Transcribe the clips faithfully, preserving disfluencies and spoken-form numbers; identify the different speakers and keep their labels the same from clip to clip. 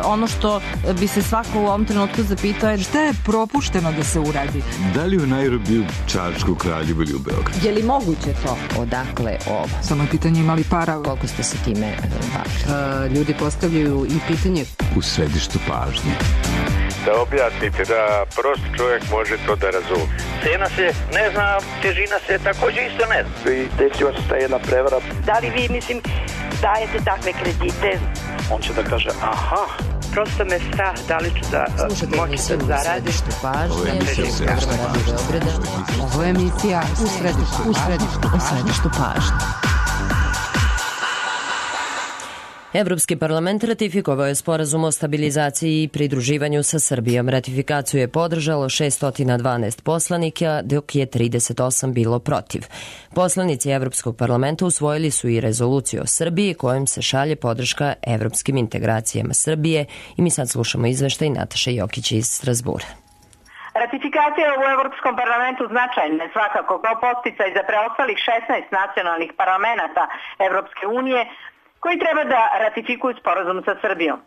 Speaker 1: ono što bi se svako u ovom trenutku zapitao je
Speaker 2: šta je propušteno da se uradi?
Speaker 3: Da li u Nairobiju, Čačku, Kraljevu ili u Beogradu?
Speaker 4: Je li moguće to? Odakle ovo?
Speaker 2: Samo je pitanje imali para.
Speaker 4: Koliko ste se time bavili?
Speaker 2: Uh, ljudi postavljaju i pitanje
Speaker 3: u središtu pažnje.
Speaker 5: Da objasnite, da prost čovjek može to da razumije.
Speaker 6: Cena se ne zna, težina se također isto ne zna.
Speaker 7: I desila se ta jedna prevara.
Speaker 8: Da li vi, mislim, dajete takve kredite?
Speaker 7: On će da kaže, aha.
Speaker 8: Prosto me strah da li ću da moći da zaradim.
Speaker 4: Ovo je emisija
Speaker 2: Ovo je emisija u središtu, u središtu, u središtu pažnje.
Speaker 9: Evropski parlament ratifikovao je sporazum o stabilizaciji i pridruživanju sa Srbijom. Ratifikaciju je podržalo šessto dvanaest poslanika, dok je trideset osam bilo protiv. Poslanici Evropskog parlamenta usvojili su i rezoluciju o Srbiji kojom se šalje podrška evropskim integracijama Srbije i mi sad slušamo izveštaj Nataše Jokić iz Strasbura.
Speaker 10: Ratifikacija u Evropskom parlamentu značajna je svakako kao podsticaj za preostalih šesnaest nacionalnih parlamenata Evropske unije koji treba da ratifikuju sporazum sa Srbijom.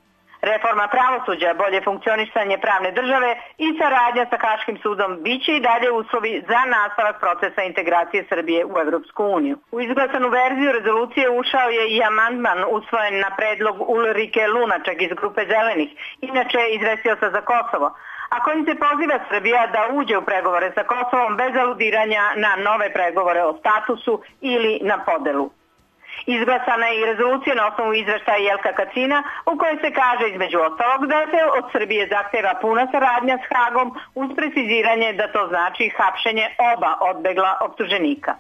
Speaker 10: Reforma pravosuđa, bolje funkcionisanje pravne države i saradnja sa Haškim sudom biće i dalje uslovi za nastavak procesa integracije Srbije u Evropsku uniju. U izglasanu verziju rezolucije ušao je i amandman usvojen na predlog Ulrike Lunaček iz grupe Zelenih, inače izvestioca za Kosovo, a kojim se poziva Srbija da uđe u pregovore sa Kosovom bez aludiranja na nove pregovore o statusu ili na podelu. Izglasana je i rezolucija na osnovu izveštaja Jelka Kacina u kojoj se kaže između ostalog da se od Srbije zahteva puna saradnja s Hagom uz preciziranje da to znači hapšenje oba odbegla optuženika.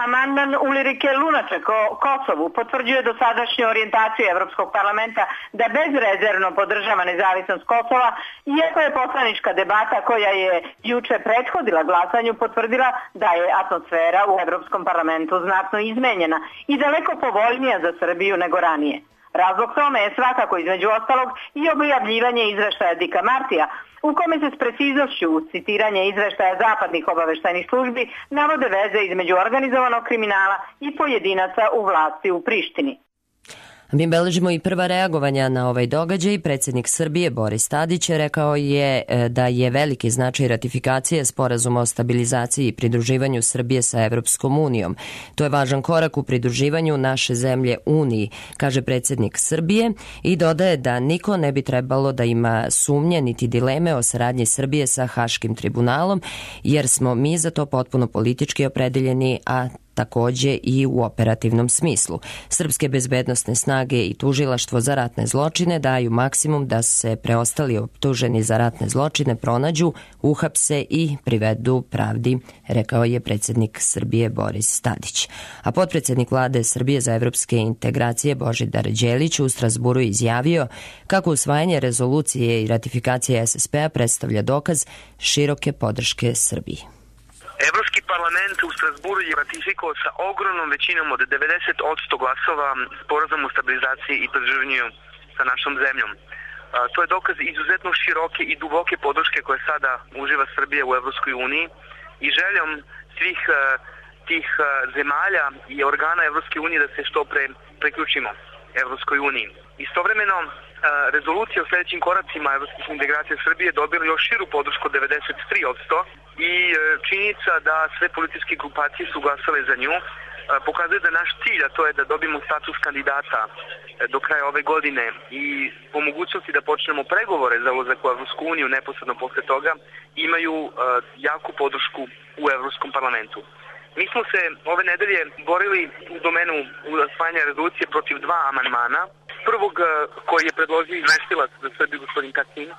Speaker 10: Amandman Ulrike Lunaček o Kosovu potvrđuje dosadašnju orijentaciju Evropskog parlamenta da bezrezervno podržava nezavisnost Kosova, iako je poslanička debata koja je juče prethodila glasanju potvrdila da je atmosfera u Evropskom parlamentu znatno izmenjena i daleko povoljnija za Srbiju nego ranije. Razlog tome je svakako između ostalog i objavljivanje izveštaja Dika Martija, u kome se s preciznošću uz citiranje izveštaja zapadnih obaveštajnih službi navode veze između organizovanog kriminala i pojedinaca u vlasti u Prištini.
Speaker 9: Mi beležimo i prva reagovanja na ovaj događaj. Predsjednik Srbije Boris Tadić rekao je da je veliki značaj ratifikacije sporazuma o stabilizaciji i pridruživanju Srbije sa Evropskom unijom. To je važan korak u pridruživanju naše zemlje Uniji, kaže predsjednik Srbije i dodaje da niko ne bi trebalo da ima sumnje niti dileme o saradnji Srbije sa Haškim tribunalom, jer smo mi za to potpuno politički opredeljeni, a takođe i u operativnom smislu. Srpske bezbednosne snage i tužilaštvo za ratne zločine daju maksimum da se preostali optuženi za ratne zločine pronađu, uhapse i privedu pravdi, rekao je predsjednik Srbije Boris Tadić. A potpredsjednik vlade Srbije za evropske integracije Božidar Đelić u Strasburu izjavio kako usvajanje rezolucije i ratifikacije es es pe-a predstavlja dokaz široke podrške Srbiji.
Speaker 11: Evropski parlament u Strasburu je ratifikovao sa ogromnom većinom od devedeset posto glasova sporazum o stabilizaciji i pridruživanju sa našom zemljom. To je dokaz izuzetno široke i duboke podrške koje sada uživa Srbija u Evropskoj uniji i željom svih tih zemalja i organa Evropske unije da se što pre priključimo Evropskoj uniji. Istovremeno, rezolucija o sljedećim koracima evropskih integracija Srbije dobila još širu podršku od devedeset tri posto i činjenica da sve političke grupacije su glasale za nju pokazuje da naš cilj, a to je da dobijemo status kandidata do kraja ove godine i po mogućnosti da počnemo pregovore za ulazak u Evropsku uniju neposredno posle toga, imaju jaku podršku u Evropskom parlamentu. Mi smo se ove nedelje borili u domenu usvajanja rezolucije protiv dva amandmana. Prvog koji je predložio izvestilac za Srbiju gospodin Kacin,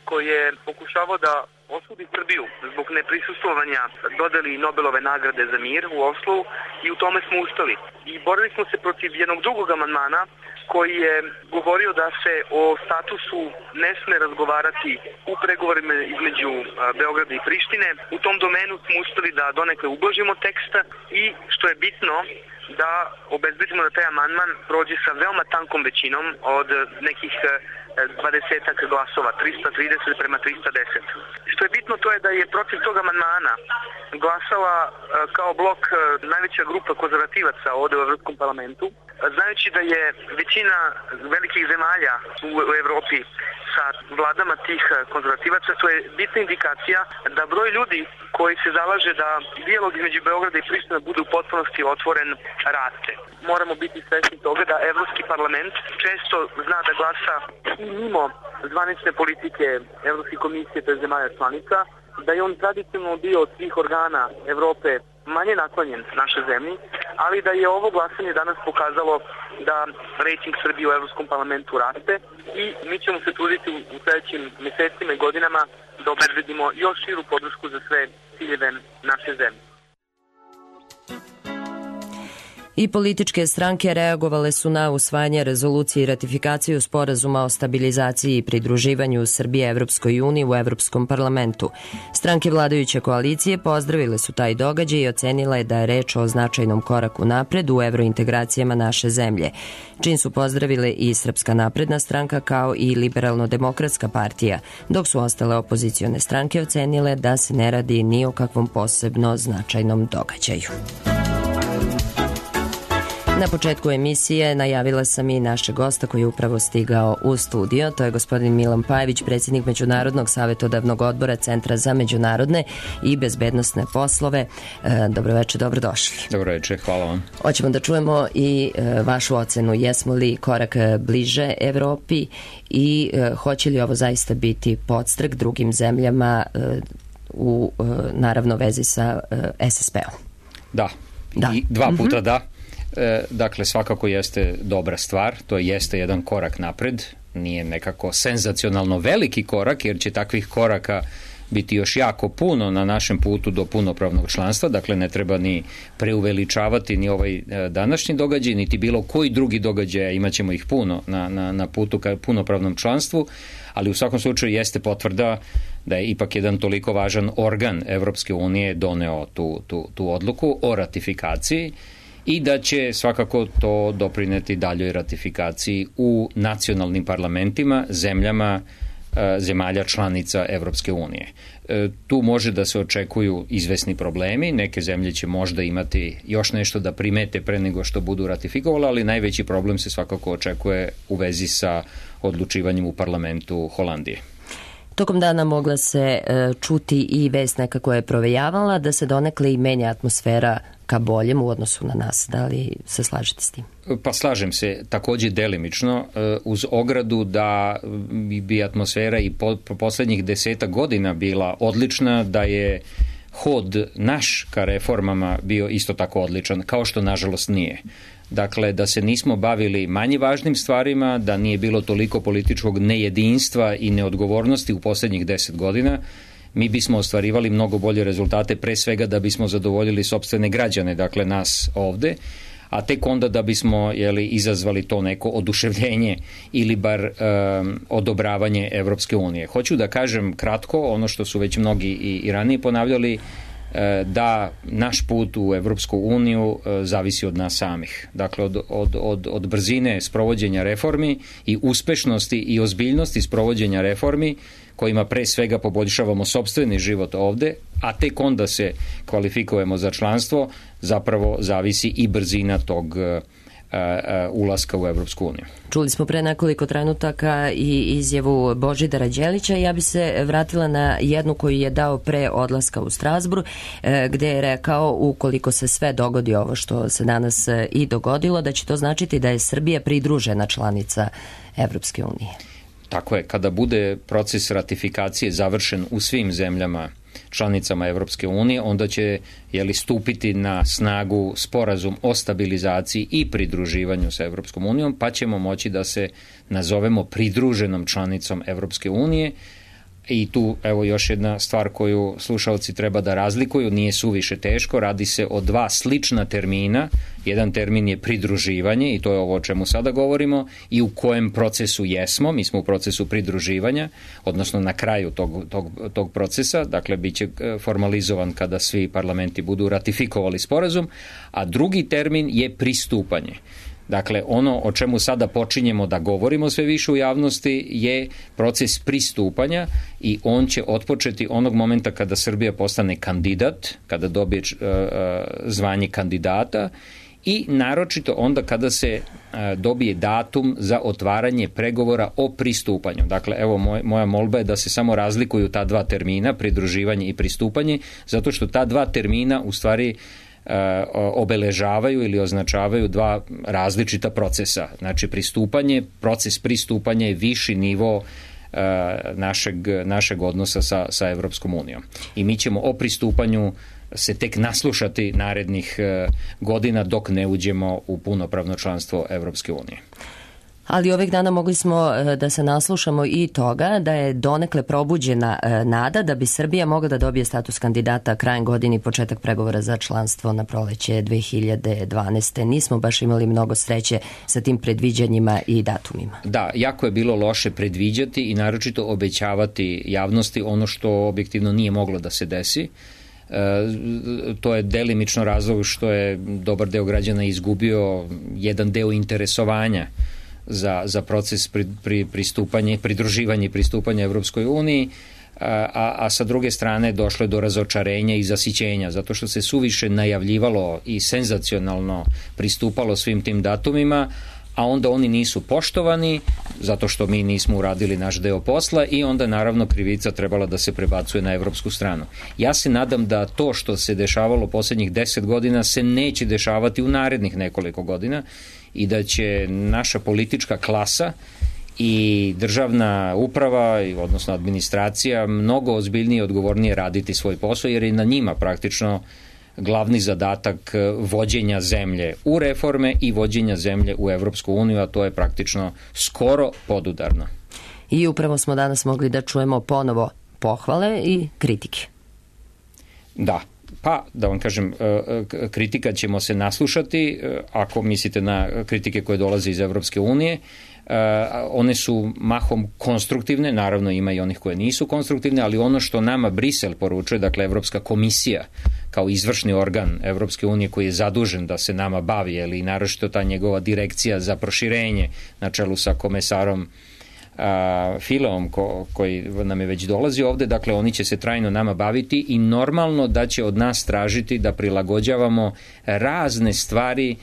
Speaker 11: koji je pokušavao da osudi Srbiju zbog neprisustvovanja dodeli Nobelove nagrade za mir u Oslu i u tome smo ustali. I borili smo se protiv jednog drugog amandmana koji je govorio da se o statusu ne sme razgovarati u pregovorima između Beograda i Prištine. U tom domenu smo uspeli da donekle ublažimo tekst i što je bitno da obezbedimo da taj amandman prođe sa veoma tankom većinom od nekih dvadesetak glasova, trista trideset prema trista deset. Što je bitno to je da je protiv tog amandmana glasala kao blok najveća grupa konzervativaca ovde u Evropskom parlamentu. Znajući da je većina velikih zemalja u, u Evropi sa vladama tih konzervativaca, to je bitna indikacija da broj ljudi koji se zalaže da dijalog između Beograda i Priština bude u potpunosti otvoren raste. Moramo biti svesni toga da Evropski parlament često zna da glasa i mimo zvanične politike Evropske komisije, to je zemalja članica, da je on tradicionalno bio od svih organa Evrope manje naklonjen našoj zemlji, ali da je ovo glasanje danas pokazalo da rejting Srbije u Evropskom parlamentu raste i mi ćemo se truditi u sledećim mesecima i godinama da obezbedimo još širu podršku za sve ciljeve naše zemlje.
Speaker 9: I političke stranke reagovale su na usvajanje rezolucije i ratifikaciju sporazuma o stabilizaciji i pridruživanju Srbije Evropskoj uniji u Evropskom parlamentu. Stranke vladajuće koalicije pozdravile su taj događaj i ocenile da je reč o značajnom koraku napred u evrointegracijama naše zemlje. Čin su pozdravile i Srpska napredna stranka kao i Liberalno-demokratska partija, dok su ostale opozicione stranke ocenile da se ne radi ni o kakvom posebno značajnom događaju. Na početku emisije najavila sam i našeg gosta koji je upravo stigao u studio. To je gospodin Milan Pajević, predsjednik Međunarodnog savjetodavnog odbora Centra za međunarodne i bezbednosne poslove. Dobro večer, dobrodošli.
Speaker 12: Dobro večer, hvala vam.
Speaker 9: Hoćemo da čujemo i vašu ocenu. Jesmo li korak bliže Evropi i hoće li ovo zaista biti podstrek drugim zemljama u, naravno, vezi sa S S P-om?
Speaker 12: Da, da. I dva puta mm-hmm. da. Dakle, svakako jeste dobra stvar, to jeste jedan korak napred, nije nekako senzacionalno veliki korak, jer će takvih koraka biti još jako puno na našem putu do punopravnog članstva, dakle ne treba ni preuveličavati ni ovaj današnji događaj, niti bilo koji drugi događaj, imat ćemo ih puno na, na, na putu ka punopravnom članstvu, ali u svakom slučaju jeste potvrda da je ipak jedan toliko važan organ Evropske unije doneo tu, tu, tu odluku o ratifikaciji i da će svakako to doprineti daljoj ratifikaciji u nacionalnim parlamentima, zemljama, zemalja članica Evropske unije. Tu može da se očekuju izvesni problemi, neke zemlje će možda imati još nešto da primete pre nego što budu ratifikovali, ali najveći problem se svakako očekuje u vezi sa odlučivanjem u parlamentu Holandije.
Speaker 9: Tokom dana mogla se čuti i vest nekako je provejavala da se donekle i menja atmosfera ka boljem u odnosu na nas. Da li se slažete s tim?
Speaker 12: Pa slažem se, takođe delimično, uz ogradu da bi atmosfera i po, po poslednjih deseta godina bila odlična, da je hod naš ka reformama bio isto tako odličan, kao što nažalost nije. Dakle, da se nismo bavili manje važnim stvarima, da nije bilo toliko političkog nejedinstva i neodgovornosti u poslednjih deset godina, mi bismo ostvarivali mnogo bolje rezultate, pre svega da bismo zadovoljili sopstvene građane, dakle nas ovde, a tek onda da bismo jeli, izazvali to neko oduševljenje ili bar um, odobravanje Evropske unije. Hoću da kažem kratko, ono što su već mnogi i, i ranije ponavljali, da naš put u Evropsku uniju zavisi od nas samih. Dakle, od, od, od, od brzine sprovođenja reformi i uspešnosti i ozbiljnosti sprovođenja reformi kojima pre svega poboljšavamo sopstveni život ovde, a tek onda se kvalifikujemo za članstvo, zapravo zavisi i brzina tog ulaska u Evropsku uniju.
Speaker 9: Čuli smo pre nekoliko trenutaka i izjavu Božidara Đelića. Ja bi se vratila na jednu koju je dao pre odlaska u Strazbur, gde je rekao ukoliko se sve dogodi ovo što se danas i dogodilo, da će to značiti da je Srbija pridružena članica Evropske unije.
Speaker 12: Tako je, kada bude proces ratifikacije završen u svim zemljama članicama Evropske unije, onda će jeli, stupiti na snagu sporazum o stabilizaciji i pridruživanju sa Evropskom unijom, pa ćemo moći da se nazovemo pridruženom članicom Evropske unije. I tu, evo, još jedna stvar koju slušalci treba da razlikuju, nije suviše teško, radi se o dva slična termina. Jedan termin je pridruživanje i to je ovo o čemu sada govorimo i u kojem procesu jesmo, mi smo u procesu pridruživanja, odnosno na kraju tog, tog, tog procesa, dakle bit će formalizovan kada svi parlamenti budu ratifikovali sporazum, a drugi termin je pristupanje. Dakle, ono o čemu sada počinjemo da govorimo sve više u javnosti je proces pristupanja i on će otpočeti onog momenta kada Srbija postane kandidat, kada dobije uh, zvanje kandidata i naročito onda kada se dobije datum za otvaranje pregovora o pristupanju. Dakle, evo moj, moja molba je da se samo razlikuju ta dva termina, pridruživanje i pristupanje, zato što ta dva termina u stvari obeležavaju ili označavaju dva različita procesa. Znači, pristupanje, proces pristupanja je viši nivo našeg, našeg odnosa sa, sa Evropskom unijom. I mi ćemo o pristupanju se tek naslušati narednih godina dok ne uđemo u punopravno članstvo Evropske unije.
Speaker 9: Ali ovih dana mogli smo da se naslušamo i toga da je donekle probuđena nada da bi Srbija mogla da dobije status kandidata krajem godine i početak pregovora za članstvo na proleće dve hiljade dvanaeste. Nismo baš imali mnogo sreće sa tim predviđanjima i datumima.
Speaker 12: Da, jako je bilo loše predviđati i naročito obećavati javnosti ono što objektivno nije moglo da se desi. E, to je delimično razlog što je dobar deo građana izgubio jedan deo interesovanja za, za proces pri, pri, pristupanja, pridruživanja i pristupanja Evropskoj uniji, a, a sa druge strane došlo je do razočarenja i zasićenja, zato što se suviše najavljivalo i senzacionalno pristupalo svim tim datumima, a onda oni nisu poštovani zato što mi nismo uradili naš deo posla i onda naravno krivica trebala da se prebacuje na evropsku stranu. Ja se nadam da to što se dešavalo poslednjih deset godina se neće dešavati u narednih nekoliko godina i da će naša politička klasa i državna uprava, odnosno administracija, mnogo ozbiljnije i odgovornije raditi svoj posao, jer je na njima praktično glavni zadatak vođenja zemlje u reforme i vođenja zemlje u Evropsku uniju, a to je praktično skoro podudarno.
Speaker 9: I upravo smo danas mogli da čujemo ponovo pohvale i kritike.
Speaker 12: Da, pa da vam kažem, kritika ćemo se naslušati, ako mislite na kritike koje dolaze iz Evropske unije. One su mahom konstruktivne, naravno ima i onih koje nisu konstruktivne, ali ono što nama Brisel poručuje, dakle Evropska komisija kao izvršni organ Evropske unije koji je zadužen da se nama bavi, ali i naročito ta njegova direkcija za proširenje na čelu sa komesarom a, Fileom ko, koji nam je već dolazi ovde, dakle oni će se trajno nama baviti i normalno da će od nas tražiti da prilagođavamo razne stvari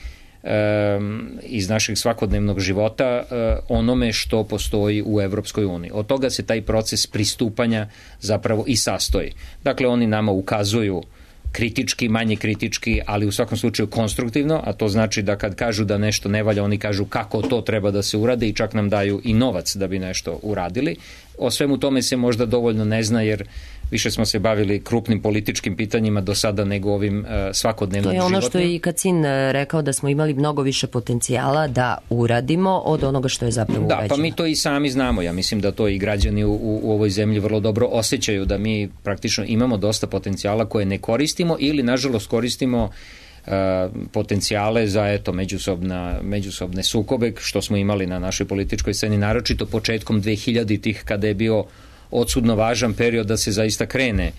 Speaker 12: iz našeg svakodnevnog života onome što postoji u Evropskoj uniji. Od toga se taj proces pristupanja zapravo i sastoji. Dakle, oni nama ukazuju kritički, manje kritički, ali u svakom slučaju konstruktivno, a to znači da kad kažu da nešto ne valja, oni kažu kako to treba da se urade i čak nam daju i novac da bi nešto uradili. O svemu tome se možda dovoljno ne zna, jer više smo se bavili krupnim političkim pitanjima do sada nego ovim uh, svakodnevnim životom.
Speaker 9: To je ono što je i Kacin rekao, da smo imali mnogo više potencijala da uradimo od onoga što je zapravo urađeno.
Speaker 12: Da, pa mi to i sami znamo. Ja mislim da to i građani u, u ovoj zemlji vrlo dobro osjećaju, da mi praktično imamo dosta potencijala koje ne koristimo ili nažalost koristimo uh, potencijale za eto međusobna, međusobne sukobe što smo imali na našoj političkoj sceni, naročito početkom dvehiljaditih kada je bio odsudno važan period da se zaista krene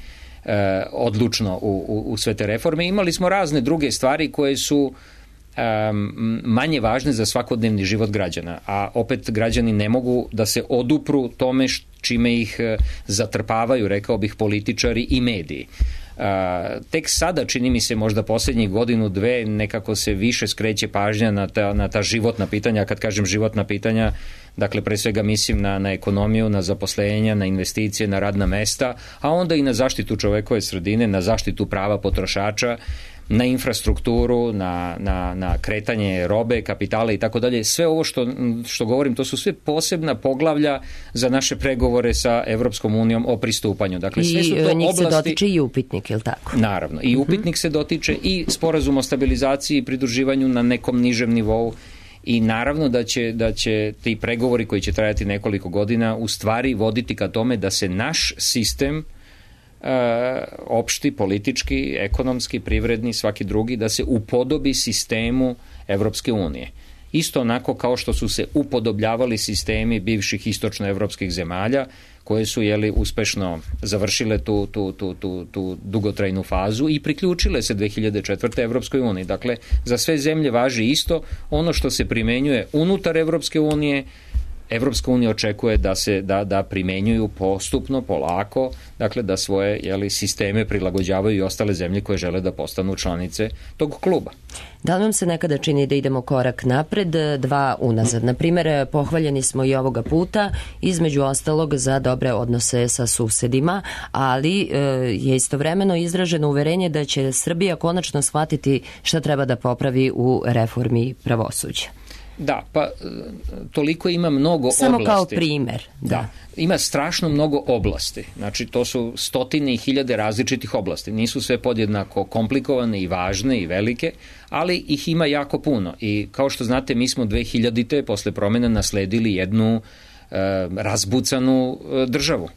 Speaker 12: e, odlučno u, u, u sve te reforme. Imali smo razne druge stvari koje su e, manje važne za svakodnevni život građana, a opet građani ne mogu da se odupru tome čime ih e, zatrpavaju, rekao bih, političari i mediji. Uh, tek sada, čini mi se, možda posljednjih godinu, dve, nekako se više skreće pažnja na ta, na ta životna pitanja. Kad kažem životna pitanja, dakle, pre svega mislim na, na ekonomiju, na zaposlenja, na investicije, na radna mesta, a onda i na zaštitu čovekove sredine, na zaštitu prava potrošača, na infrastrukturu, na, na, na kretanje robe, kapitala i tako dalje. Sve ovo što, što govorim, to su sve posebna poglavlja za naše pregovore sa Evropskom unijom o pristupanju. Dakle, sve su to
Speaker 9: I njih
Speaker 12: oblasti...
Speaker 9: se dotiče i upitnik, je li tako?
Speaker 12: Naravno, i upitnik se dotiče i sporazum o stabilizaciji i pridruživanju na nekom nižem nivou. I naravno da će, da će ti pregovori koji će trajati nekoliko godina u stvari voditi ka tome da se naš sistem E, opšti, politički, ekonomski, privredni, svaki drugi, da se upodobi sistemu Evropske unije. Isto onako kao što su se upodobljavali sistemi bivših istočnoevropskih zemalja, koje su jeli, uspešno završile tu, tu, tu, tu, tu dugotrajnu fazu i priključile se dve hiljade četvrte. Evropskoj uniji. Dakle, za sve zemlje važi isto. Ono što se primenjuje unutar Evropske unije, Evropska unija očekuje da se da, da primenjuju postupno, polako, dakle da svoje jeli, sisteme prilagođavaju i ostale zemlje koje žele da postanu članice tog kluba.
Speaker 9: Da li vam se nekada čini da idemo korak napred, dva unazad? Na primjer, pohvaljeni smo i ovoga puta, između ostalog za dobre odnose sa susedima, ali e, je istovremeno izraženo uverenje da će Srbija konačno shvatiti šta treba da popravi u reformi pravosuđa.
Speaker 12: Da, pa toliko ima mnogo
Speaker 9: Samo
Speaker 12: oblasti.
Speaker 9: Samo kao primer. Da.
Speaker 12: da. Ima strašno mnogo oblasti. Znači, to su stotine i hiljade različitih oblasti. Nisu sve podjednako komplikovane i važne i velike, ali ih ima jako puno. I kao što znate, mi smo dve hiljadite posle promjena nasledili jednu e, razbucanu e, državu.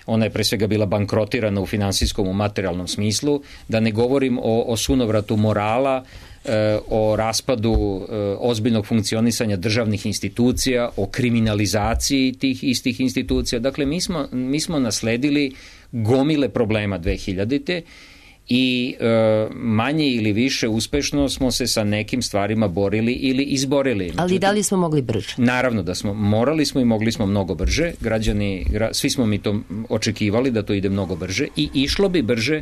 Speaker 12: Ona je pre svega bila bankrotirana u finansijskom, u materijalnom smislu, da ne govorim o, o sunovratu morala, e, o raspadu e, ozbiljnog funkcionisanja državnih institucija, o kriminalizaciji tih istih institucija. Dakle, mi smo, mi smo nasledili gomile problema dve hiljadite i e, manje ili više uspešno smo se sa nekim stvarima borili ili izborili.
Speaker 9: Ali Međutim, da li smo mogli brže?
Speaker 12: Naravno da smo, morali smo i mogli smo mnogo brže. Građani, gra, svi smo mi to očekivali da to ide mnogo brže i išlo bi brže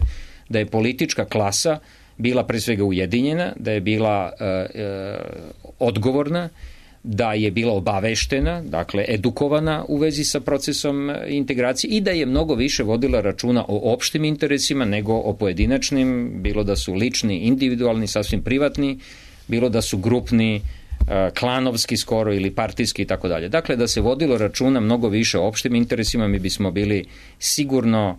Speaker 12: da je politička klasa bila pre svega ujedinjena, da je bila e, e, odgovorna, da je bila obaveštena, dakle edukovana u vezi sa procesom integracije i da je mnogo više vodila računa o opštim interesima nego o pojedinačnim, bilo da su lični, individualni, sasvim privatni, bilo da su grupni, klanovski skoro ili partijski i tako dalje. Dakle, da se vodilo računa mnogo više o opštim interesima, mi bismo bili sigurno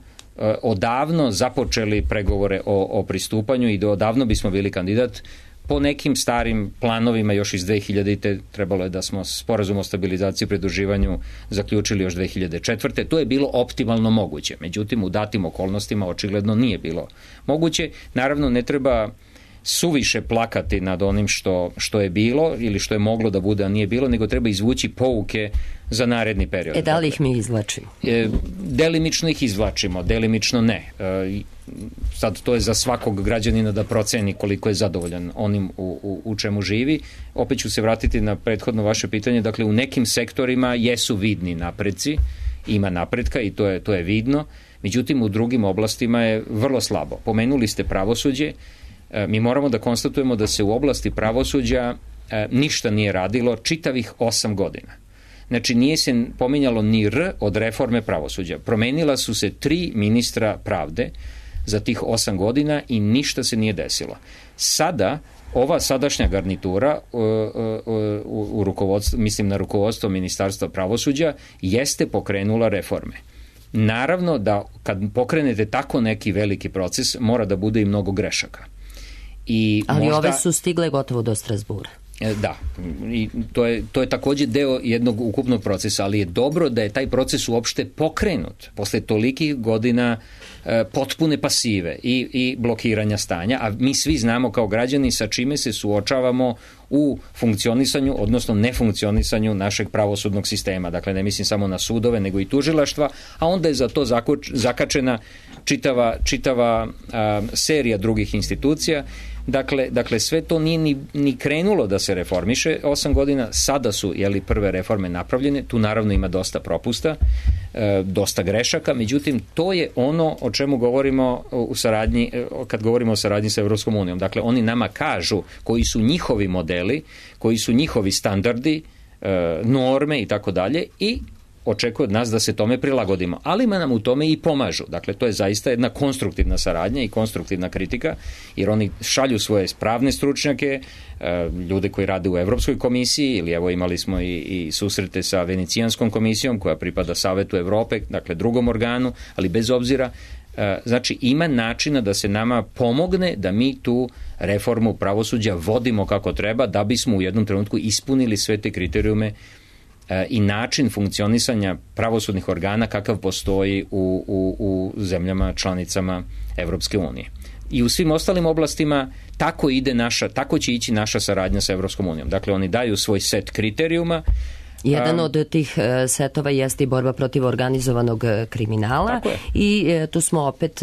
Speaker 12: odavno započeli pregovore o, o pristupanju i do odavno bismo bili kandidat. Po nekim starim planovima još iz dve hiljadite trebalo je da smo sporazum o stabilizaciji i pridruživanju zaključili još dve hiljade četvrte. To je bilo optimalno moguće. Međutim, u datim okolnostima očigledno nije bilo moguće. Naravno, ne treba suviše plakati nad onim što, što je bilo ili što je moglo da bude, a nije bilo, nego treba izvući pouke za naredni period.
Speaker 9: E, da li ih mi izvlačimo?
Speaker 12: E, delimično ih izvlačimo, delimično ne. E, sad to je za svakog građanina da proceni koliko je zadovoljan onim u, u, u čemu živi. Opet ću se vratiti na prethodno vaše pitanje. Dakle, u nekim sektorima jesu vidni napreci, ima napretka i to je, to je vidno. Međutim, u drugim oblastima je vrlo slabo. Pomenuli ste pravosuđe. Mi moramo da konstatujemo da se u oblasti pravosuđa e, ništa nije radilo čitavih osam godina. Znači, nije se pominjalo ni R od reforme pravosuđa. Promenila su se tri ministra pravde za tih osam godina i ništa se nije desilo. Sada, ova sadašnja garnitura u, u, u rukovodstvu, mislim na rukovodstvo Ministarstva pravosuđa, jeste pokrenula reforme. Naravno da kad pokrenete tako neki veliki proces, mora da bude i mnogo grešaka. I
Speaker 9: ali
Speaker 12: možda,
Speaker 9: ove su stigle gotovo do Strasbura.
Speaker 12: Da, i to je, to je takođe deo jednog ukupnog procesa, ali je dobro da je taj proces uopšte pokrenut posle tolikih godina e, potpune pasive i, i blokiranja stanja, a mi svi znamo kao građani sa čime se suočavamo u funkcionisanju, odnosno nefunkcionisanju našeg pravosudnog sistema. Dakle, ne mislim samo na sudove, nego i tužilaštva, a onda je za to zakoč, zakačena čitava, čitava a, serija drugih institucija. Dakle, dakle, sve to nije ni, ni krenulo da se reformiše. Osam godina, sada su jeli, prve reforme napravljene, tu naravno ima dosta propusta, e, dosta grešaka, međutim, to je ono o čemu govorimo u saradnji, kad govorimo o saradnji sa Evropskom unijom. Dakle, oni nama kažu koji su njihovi modeli, koji su njihovi standardi, e, norme i tako dalje i očekuje od nas da se tome prilagodimo, ali nam u tome i pomažu. Dakle, to je zaista jedna konstruktivna saradnja i konstruktivna kritika, jer oni šalju svoje pravne stručnjake, ljude koji rade u Evropskoj komisiji, ili evo imali smo i, i susrete sa Venecijanskom komisijom koja pripada Savetu Evrope, dakle drugom organu, ali bez obzira, znači ima načina da se nama pomogne da mi tu reformu pravosuđa vodimo kako treba, da bismo u jednom trenutku ispunili sve te kriterijume i način funkcionisanja pravosudnih organa kakav postoji u, u, u zemljama članicama Evropske unije. I u svim ostalim oblastima tako ide naša, tako će ići naša saradnja sa Evropskom unijom. Dakle, oni daju svoj set kriterijuma.
Speaker 9: Jedan od tih setova jeste i borba protiv organizovanog kriminala i tu smo opet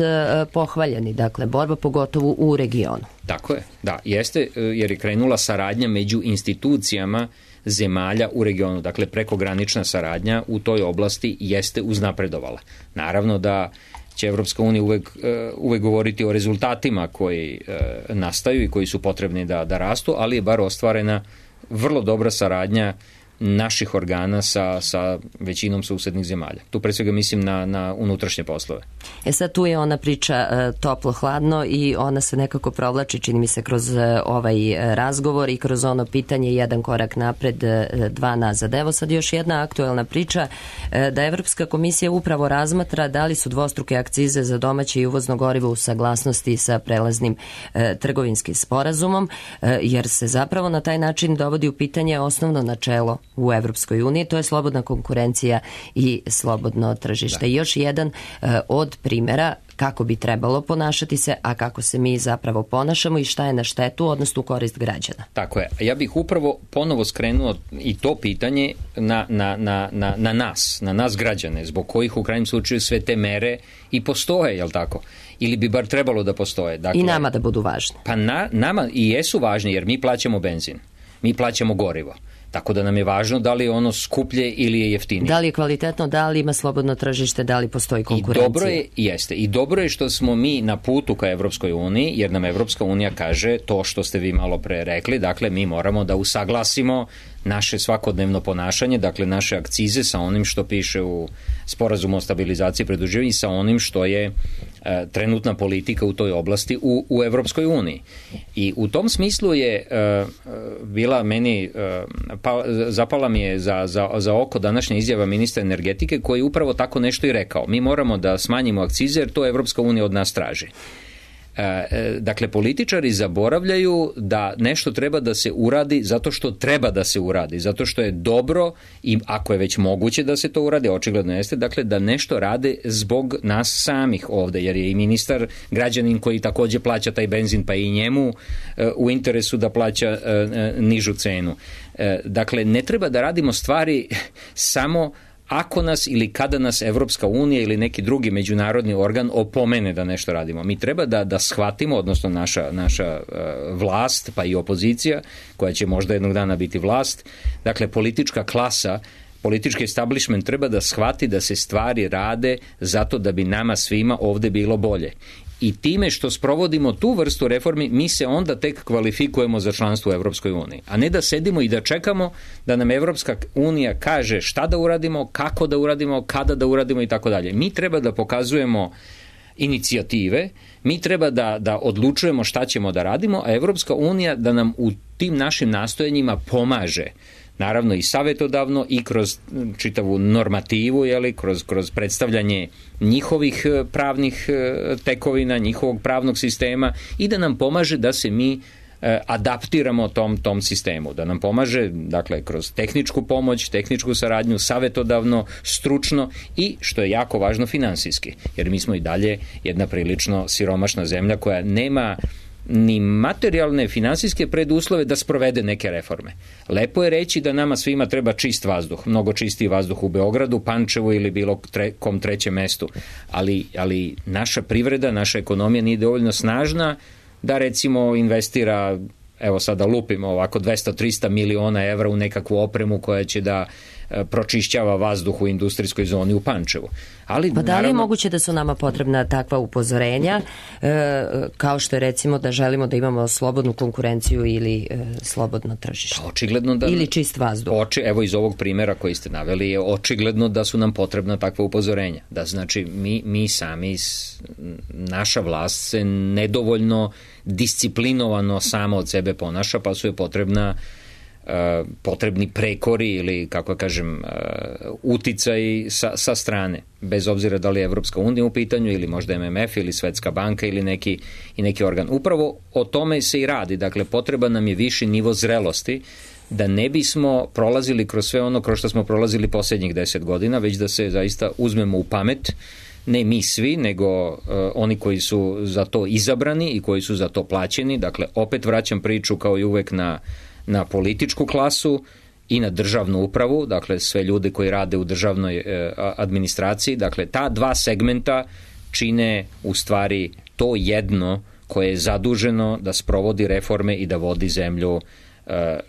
Speaker 9: pohvaljeni, dakle, borba pogotovo u regionu.
Speaker 12: Tako je, da, jeste, jer je krenula saradnja među institucijama zemalja u regionu. Dakle, prekogranična saradnja u toj oblasti jeste uznapredovala. Naravno da će Evropska unija uvek, uvek govoriti o rezultatima koji nastaju i koji su potrebni da, da rastu, ali je bar ostvarena vrlo dobra saradnja naših organa sa, sa većinom susednih zemalja. Tu pre svega mislim na, na unutrašnje poslove.
Speaker 9: E sad tu je ona priča e, toplo-hladno i ona se nekako provlači, čini mi se, kroz e, ovaj razgovor i kroz ono pitanje jedan korak napred, e, dva nazad. Evo sad još jedna aktuelna priča e, da Evropska komisija upravo razmatra da li su dvostruke akcize za domaće i uvozno gorivo u saglasnosti sa prelaznim e, trgovinskim sporazumom, e, jer se zapravo na taj način dovodi u pitanje osnovno načelo u Evropskoj uniji, to je slobodna konkurencija i slobodno tržište. Da. I još jedan uh, od primjera kako bi trebalo ponašati se, a kako se mi zapravo ponašamo i šta je na štetu, odnosno u korist građana.
Speaker 12: Tako je. Ja bih upravo ponovo skrenuo i to pitanje na, na, na, na, na nas, na nas građane, zbog kojih u krajnjem slučaju sve te mere i postoje, jel tako? Ili bi bar trebalo da postoje. Dakle,
Speaker 9: i nama da budu važni.
Speaker 12: Pa na, nama i jesu važni, jer mi plaćamo benzin, mi plaćamo gorivo. Tako da nam je važno da li je ono skuplje ili je jeftinije.
Speaker 9: Da li je kvalitetno, da li ima slobodno tržište, da li postoji konkurencija.
Speaker 12: I dobro je, jeste. I dobro je što smo mi na putu ka Evropskoj uniji, jer nam Evropska unija kaže to što ste vi malo pre rekli, dakle mi moramo da usaglasimo naše svakodnevno ponašanje, dakle naše akcize sa onim što piše u sporazumu o stabilizaciji i pridruživanju i sa onim što je e, trenutna politika u toj oblasti u, u Evropskoj uniji. I u tom smislu je e, bila meni, e, pa, zapala mi je za, za, za oko današnja izjava ministra energetike koji upravo tako nešto i rekao. Mi moramo da smanjimo akcize jer to Evropska unija od nas traži. Dakle, političari zaboravljaju da nešto treba da se uradi zato što treba da se uradi, zato što je dobro i ako je već moguće da se to uradi, očigledno jeste, dakle da nešto rade zbog nas samih ovde, jer je i ministar građanin koji takođe plaća taj benzin, pa i njemu u interesu da plaća nižu cenu. Dakle, ne treba da radimo stvari samo ako nas ili kada nas Evropska unija ili neki drugi međunarodni organ opomene da nešto radimo. Mi treba da, da shvatimo, odnosno naša, naša uh, vlast, pa i opozicija, koja će možda jednog dana biti vlast, dakle politička klasa, politički establishment treba da shvati da se stvari rade zato da bi nama svima ovde bilo bolje. I time što sprovodimo tu vrstu reformi, mi se onda tek kvalifikujemo za članstvo u Evropskoj uniji. A ne da sedimo i da čekamo da nam Evropska unija kaže šta da uradimo, kako da uradimo, kada da uradimo i tako dalje. Mi treba da pokazujemo inicijative, mi treba da, da odlučujemo šta ćemo da radimo, a Evropska unija da nam u tim našim nastojanjima pomaže. Naravno i savjetodavno i kroz čitavu normativu, jeli, kroz, kroz predstavljanje njihovih pravnih tekovina, njihovog pravnog sistema i da nam pomaže da se mi adaptiramo tom, tom sistemu, da nam pomaže, dakle, kroz tehničku pomoć, tehničku saradnju, savjetodavno, stručno i, što je jako važno, finansijski, jer mi smo i dalje jedna prilično siromašna zemlja koja nema ni materijalne finansijske preduslove da sprovede neke reforme. Lepo je reći da nama svima treba čist vazduh, mnogo čistiji vazduh u Beogradu, Pančevu ili bilo tre, kom trećem mestu, ali, ali naša privreda, naša ekonomija nije dovoljno snažna da recimo investira, evo sada lupimo ovako dvesta do trista miliona evra u nekakvu opremu koja će da pročišćava vazduh u industrijskoj zoni u Pančevu. Ali,
Speaker 9: pa da li
Speaker 12: naravno,
Speaker 9: je moguće da su nama potrebna takva upozorenja, e, kao što je recimo da želimo da imamo slobodnu konkurenciju ili e, slobodno tržište?
Speaker 12: Pa očigledno da,
Speaker 9: ili čist vazduh?
Speaker 12: Oči, evo iz ovog primjera koji ste naveli je očigledno da su nam potrebna takva upozorenja. Da znači mi, mi sami, naša vlast se nedovoljno disciplinovano sama od sebe ponaša, pa su je potrebna Uh, potrebni prekori ili, kako kažem, uh, uticaj sa, sa strane, bez obzira da li je Evropska unija u pitanju ili možda M M F ili Svetska banka ili neki, i neki organ. Upravo o tome se i radi, dakle potreba nam je viši nivo zrelosti da ne bismo prolazili kroz sve ono kroz što smo prolazili posljednjih deset godina, već da se zaista uzmemo u pamet, ne mi svi, nego uh, oni koji su za to izabrani i koji su za to plaćeni. Dakle, opet vraćam priču kao i uvek na na političku klasu i na državnu upravu, dakle sve ljude koji rade u državnoj e, administraciji, dakle ta dva segmenta čine u stvari to jedno koje je zaduženo da sprovodi reforme i da vodi zemlju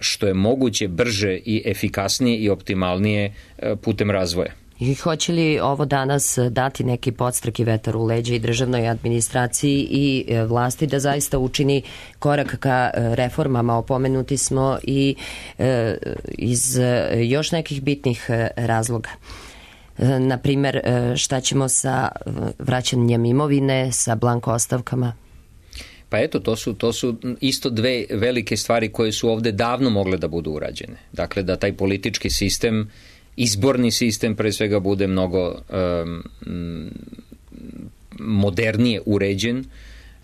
Speaker 12: što je moguće brže i efikasnije i optimalnije putem razvoja.
Speaker 9: I hoće li ovo danas dati neki podstrek i vetar u leđa i državnoj administraciji i vlasti da zaista učini korak ka reformama? Opomenuti smo i iz još nekih bitnih razloga. Na primer, šta ćemo sa vraćanjem imovine, sa blanko ostavkama?
Speaker 12: Pa eto, to su, to su isto dve velike stvari koje su ovde davno mogle da budu urađene. Dakle, da taj politički sistem, izborni sistem pre svega bude mnogo um, modernije uređen,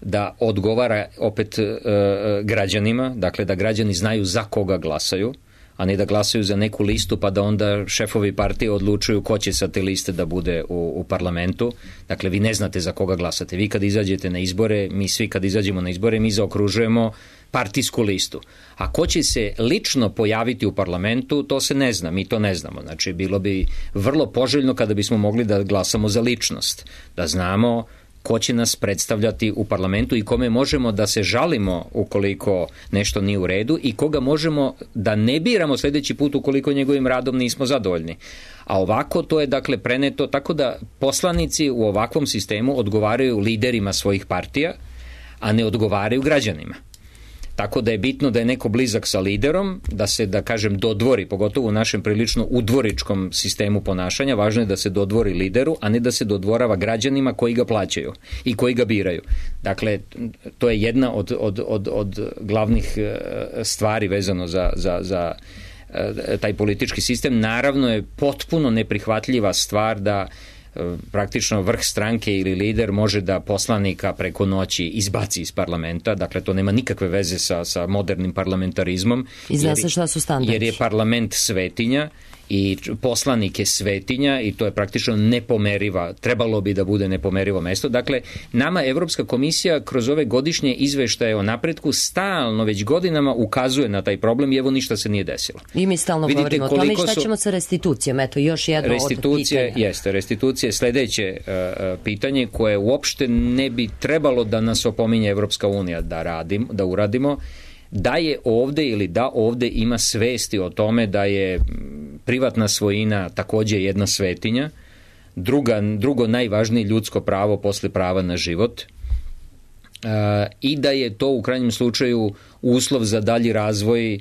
Speaker 12: da odgovara opet uh, građanima, dakle da građani znaju za koga glasaju, a ne da glasaju za neku listu pa da onda šefovi partije odlučuju ko će sa te liste da bude u, u parlamentu. Dakle, vi ne znate za koga glasate. Vi kad izađete na izbore, mi svi kad izađemo na izbore, mi zaokružujemo partijsku listu. A ko će se lično pojaviti u parlamentu, to se ne zna, mi to ne znamo. Znači, bilo bi vrlo poželjno kada bismo mogli da glasamo za ličnost, da znamo ko će nas predstavljati u parlamentu i kome možemo da se žalimo ukoliko nešto nije u redu i koga možemo da ne biramo sljedeći put ukoliko njegovim radom nismo zadovoljni. A ovako to je dakle preneto tako da poslanici u ovakvom sistemu odgovaraju liderima svojih partija, a ne odgovaraju građanima. Tako da je bitno da je neko blizak sa liderom, da se, da kažem, dodvori, pogotovo u našem prilično udvoričkom sistemu ponašanja, važno je da se dodvori lideru, a ne da se dodvorava građanima koji ga plaćaju i koji ga biraju. Dakle, to je jedna od, od, od, od glavnih stvari vezano za, za, za taj politički sistem. Naravno je potpuno neprihvatljiva stvar da praktično vrh stranke ili lider može da poslanika preko noći izbaci iz parlamenta, dakle to nema nikakve veze sa, sa modernim parlamentarizmom.
Speaker 9: I zna se šta su standardi.
Speaker 12: Jer je parlament svetinja i poslanik je svetinja i to je praktično nepomeriva, trebalo bi da bude nepomerivo mesto. Dakle, nama Evropska komisija kroz ove godišnje izveštaje o napretku stalno već godinama ukazuje na taj problem i evo ništa se nije desilo.
Speaker 9: I mi stalno Vidite, govorimo o tome i šta su... ćemo sa restitucijom, eto još jedno
Speaker 12: restitucije,
Speaker 9: od pitanja.
Speaker 12: Jeste, restitucije je sledeće uh, pitanje koje uopšte ne bi trebalo da nas opominje Evropska unija da, radim, da uradimo, da je ovde ili da ovde ima svesti o tome da je privatna svojina takođe jedna svetinja, druga, drugo najvažnije ljudsko pravo posle prava na život uh, i da je to u krajnjem slučaju uslov za dalji razvoj uh,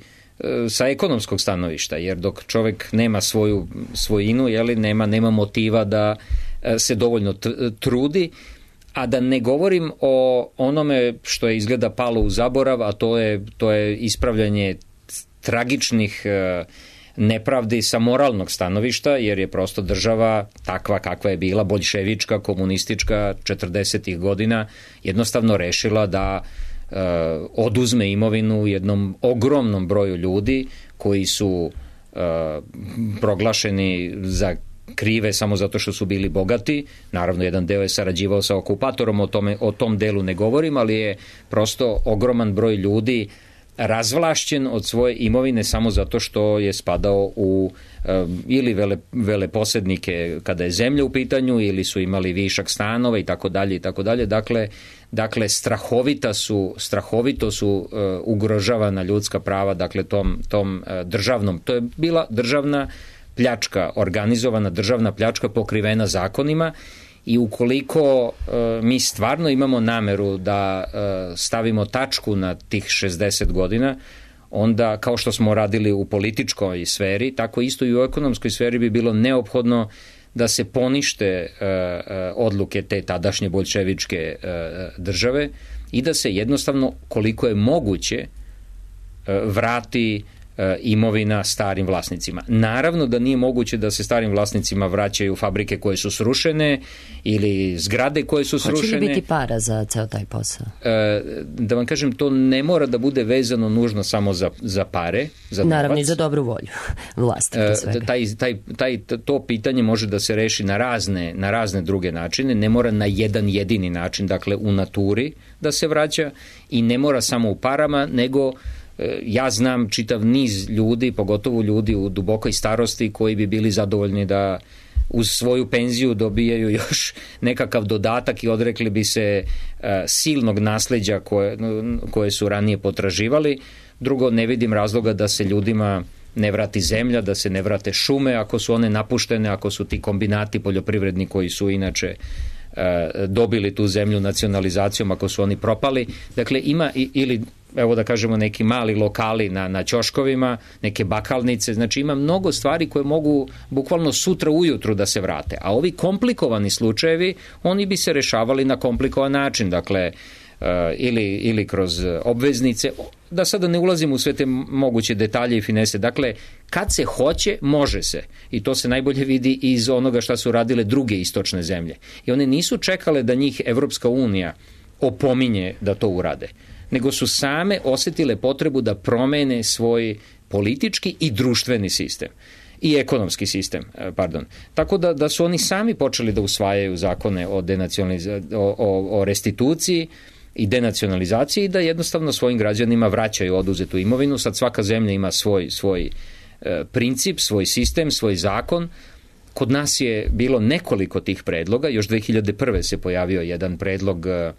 Speaker 12: sa ekonomskog stanovišta, jer dok čovek nema svoju svojinu, jeli, nema, nema motiva da uh, se dovoljno trudi. A da ne govorim o onome što je izgleda palo u zaborav, a to je, to je ispravljanje tragičnih e, nepravdi sa moralnog stanovišta, jer je prosto država takva kakva je bila, boljševička, komunistička, četrdesetih godina, jednostavno rešila da e, oduzme imovinu jednom ogromnom broju ljudi koji su e, proglašeni za krive samo zato što su bili bogati. Naravno, jedan deo je sarađivao sa okupatorom, o, tome, o tom delu ne govorim, ali je prosto ogroman broj ljudi razvlašćen od svoje imovine samo zato što je spadao u um, ili vele, veleposednike kada je zemlja u pitanju, ili su imali višak stanova i tako dalje i tako dalje. Dakle, dakle strahovita su, strahovito su uh, ugrožavana ljudska prava, dakle tom, tom uh, državnom. To je bila državna pljačka, organizovana državna pljačka pokrivena zakonima i ukoliko e, mi stvarno imamo nameru da e, stavimo tačku na tih šezdeset godina, onda kao što smo radili u političkoj sferi, tako isto i u ekonomskoj sferi bi bilo neophodno da se ponište e, e, odluke te tadašnje boljševičke e, države i da se jednostavno koliko je moguće e, vrati imovina starim vlasnicima. Naravno da nije moguće da se starim vlasnicima vraćaju fabrike koje su srušene ili zgrade koje su srušene.
Speaker 9: Hoće li biti para za ceo taj posao?
Speaker 12: Da vam kažem, to ne mora da bude vezano nužno samo za, za pare. Za
Speaker 9: Naravno i za dobru volju vlasti.
Speaker 12: Taj, taj, taj, to pitanje može da se reši na razne, na razne druge načine. Ne mora na jedan jedini način, dakle u naturi da se vraća i ne mora samo u parama, nego ja znam čitav niz ljudi, pogotovo ljudi u dubokoj starosti koji bi bili zadovoljni da uz svoju penziju dobijaju još nekakav dodatak i odrekli bi se uh, silnog nasleđa koje, koje su ranije potraživali. Drugo, ne vidim razloga da se ljudima ne vrati zemlja, da se ne vrate šume ako su one napuštene, ako su ti kombinati poljoprivredni koji su inače dobili tu zemlju nacionalizacijom, ako su oni propali. Dakle, ima ili, evo da kažemo, neki mali lokali na, na ćoškovima, neke bakalnice, znači ima mnogo stvari koje mogu bukvalno sutra ujutru da se vrate. A ovi komplikovani slučajevi, oni bi se rešavali na komplikovan način, dakle, ili, ili kroz obveznice, da sada ne ulazim u sve te moguće detalje i finese. Dakle, kad se hoće, može se. I to se najbolje vidi iz onoga šta su radile druge istočne zemlje. I one nisu čekale da njih Evropska unija opominje da to urade, nego su same osetile potrebu da promene svoj politički i društveni sistem. I ekonomski sistem, pardon. Tako da, da su oni sami počeli da usvajaju zakone o, o, o, o restituciji i denacionalizaciji i da jednostavno svojim građanima vraćaju oduzetu imovinu. Sad svaka zemlja ima svoj, svoj e, princip, svoj sistem, svoj zakon. Kod nas je bilo nekoliko tih predloga. Još dve hiljade prve se pojavio jedan predlog e,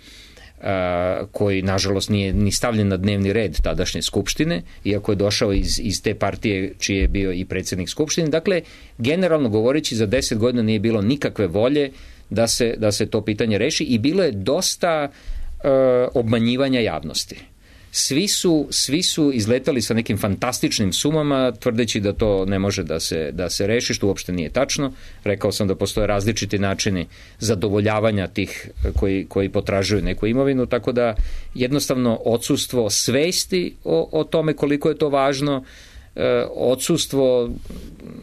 Speaker 12: koji nažalost nije ni stavljen na dnevni red tadašnje skupštine, iako je došao iz, iz te partije čiji je bio i predsjednik skupštine. Dakle, generalno govoreći, za deset godina nije bilo nikakve volje da se, da se to pitanje reši i bilo je dosta e, obmanjivanja javnosti. Svi su, svi su izletali sa nekim fantastičnim sumama, tvrdeći da to ne može da se, da se reši, što uopšte nije tačno. Rekao sam da postoje različiti načini zadovoljavanja tih koji, koji potražuju neku imovinu, tako da jednostavno odsustvo svesti o, o tome koliko je to važno, e, odsustvo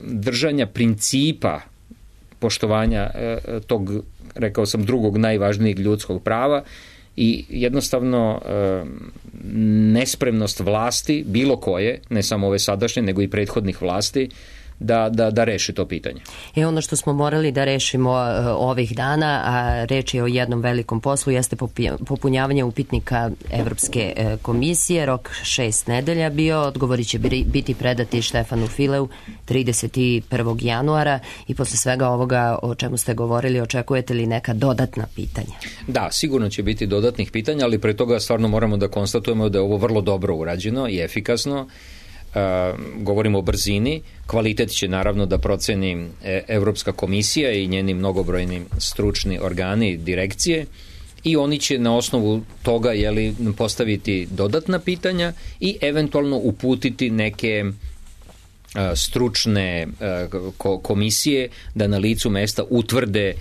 Speaker 12: držanja principa poštovanja e, tog, rekao sam, drugog najvažnijeg ljudskog prava, i jednostavno e, nespremnost vlasti, bilo koje, ne samo ove sadašnje, nego i prethodnih vlasti, da, da, da reši to pitanje.
Speaker 9: I ono što smo morali da rešimo uh, ovih dana, a reč je o jednom velikom poslu, jeste popunjavanje upitnika Evropske uh, komisije. Rok šest nedelja bio, odgovori će biti predati Štefanu Fileu trideset prvog januara i posle svega ovoga o čemu ste govorili, očekujete li neka dodatna pitanja?
Speaker 12: Da, sigurno će biti dodatnih pitanja, ali pre toga stvarno moramo da konstatujemo da je ovo vrlo dobro urađeno i efikasno. Uh, govorimo o brzini, kvalitet će naravno da proceni Evropska komisija i njeni mnogobrojni stručni organi direkcije i oni će na osnovu toga, jeli, postaviti dodatna pitanja i eventualno uputiti neke uh, stručne uh, ko- komisije da na licu mesta utvrde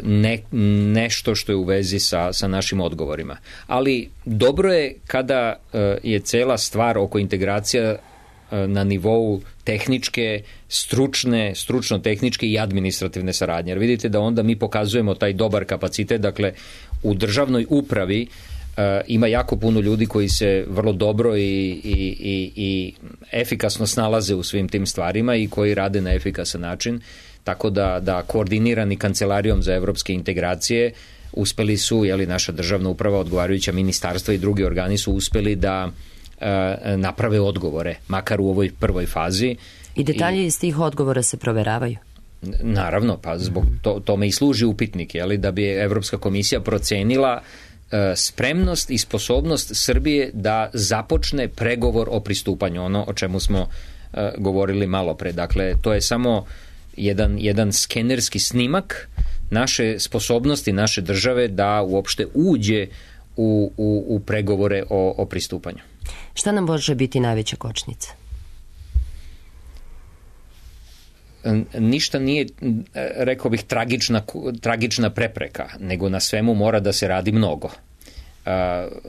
Speaker 12: Ne, nešto što je u vezi sa, sa našim odgovorima. Ali dobro je kada je cela stvar oko integracija na nivou tehničke, stručne, stručno-tehničke i administrativne saradnje. Jer vidite da onda mi pokazujemo taj dobar kapacitet, dakle u državnoj upravi uh, ima jako puno ljudi koji se vrlo dobro i, i, i, i efikasno snalaze u svim tim stvarima i koji rade na efikasan način, tako da, da koordinirani Kancelarijom za evropske integracije uspeli su, jeli, naša državna uprava, odgovarajuća ministarstva i drugi organi su uspeli da naprave odgovore, makar u ovoj prvoj fazi.
Speaker 9: I detalji I, iz tih odgovora se proveravaju?
Speaker 12: Naravno, pa zbog to, tome i služi upitnik, jeli, da bi Evropska komisija procenila uh, spremnost i sposobnost Srbije da započne pregovor o pristupanju, ono o čemu smo uh, govorili malo pre. Dakle, to je samo jedan, jedan skenerski snimak naše sposobnosti, naše države da uopšte uđe u, u, u pregovore o, o pristupanju.
Speaker 9: Šta nam može biti najveća kočnica?
Speaker 12: Ništa nije, rekao bih, tragična, tragična prepreka, nego na svemu mora da se radi mnogo.